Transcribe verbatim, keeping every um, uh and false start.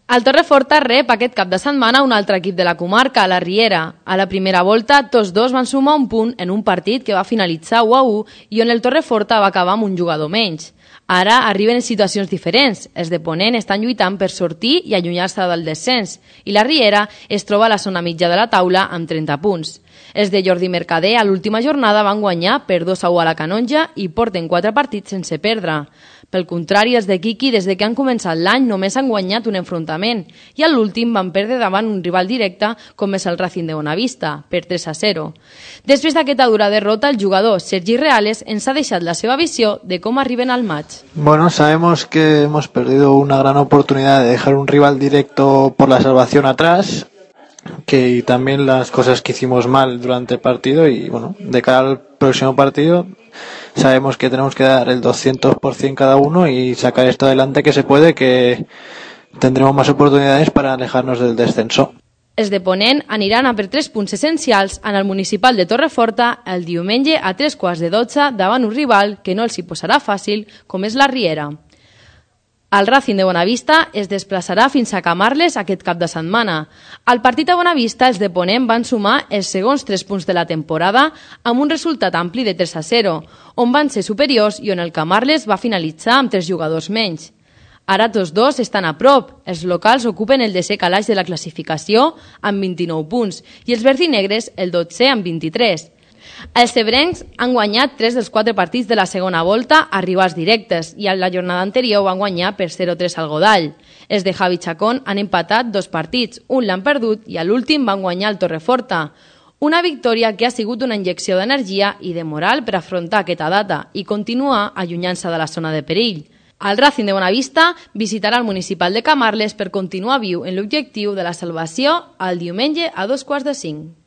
El Torreforta rep aquest cap de setmana un altre equip de la comarca, la Riera. A la primera volta, tots dos van sumar un punt en un partit que va finalitzar u a u i on el Torreforta va acabar amb un jugador menys. Ara arriben en situacions diferents. Els de Ponent estan lluitant per sortir i allunyar-se del descens i la Riera es troba a la zona mitja de la taula amb trenta punts. Els de Jordi Mercader a l'última jornada van guanyar per dos a u a la Canonja i porten quatre partits sense perdre. Pel contrari, els de Quiqui, des de que han començat l'any, només han guanyat un enfrontament i a l'últim van perdre davant un rival directe com és el Racing de Bonavista, per tres a zero. Després d'aquesta dura derrota, el jugador Sergi Reales ens ha deixat la seva visió de com arriben al maig. Bueno, sabemos que hemos perdido una gran oportunidad de dejar un rival directo por la salvación atrás, que y también las cosas que hicimos mal durante el partido y bueno, de cara al próximo partido sabemos que tenemos que dar el doscientos por ciento cada uno y sacar esto adelante que se puede, que tendremos más oportunidades para alejarnos del descenso. Els de Ponent aniran a per tres punts essencials en el municipal de Torreforta el diumenge a tres quarts de dotze davant un rival que no els hi posarà fàcil com és la Riera. El Racing de Bonavista es desplaçarà fins a Camarles aquest cap de setmana. Al partit a Bonavista, els de Ponent van sumar els segons tres punts de la temporada amb un resultat ampli de tres a zero, on van ser superiors i on el Camarles va finalitzar amb tres jugadors menys. Ara tots dos estan a prop. Els locals ocupen el desè calaix de la classificació amb vint-i-nou punts i els verdinegres el dotzè amb vint-i-tres. Els cebrencs han guanyat tres dels quatre partits de la segona volta a rivals directes i en la jornada anterior van guanyar per zero a tres al Godall. Els de Javi Chacón han empatat dos partits, un l'han perdut i a l'últim van guanyar el Torreforta. Una victòria que ha sigut una injecció d'energia i de moral per afrontar aquesta data i continuar allunyant-se de la zona de perill. El Racing de Bonavista visitarà el municipal de Camarles per continuar viu en l'objectiu de la salvació el diumenge a dos quarts de cinc.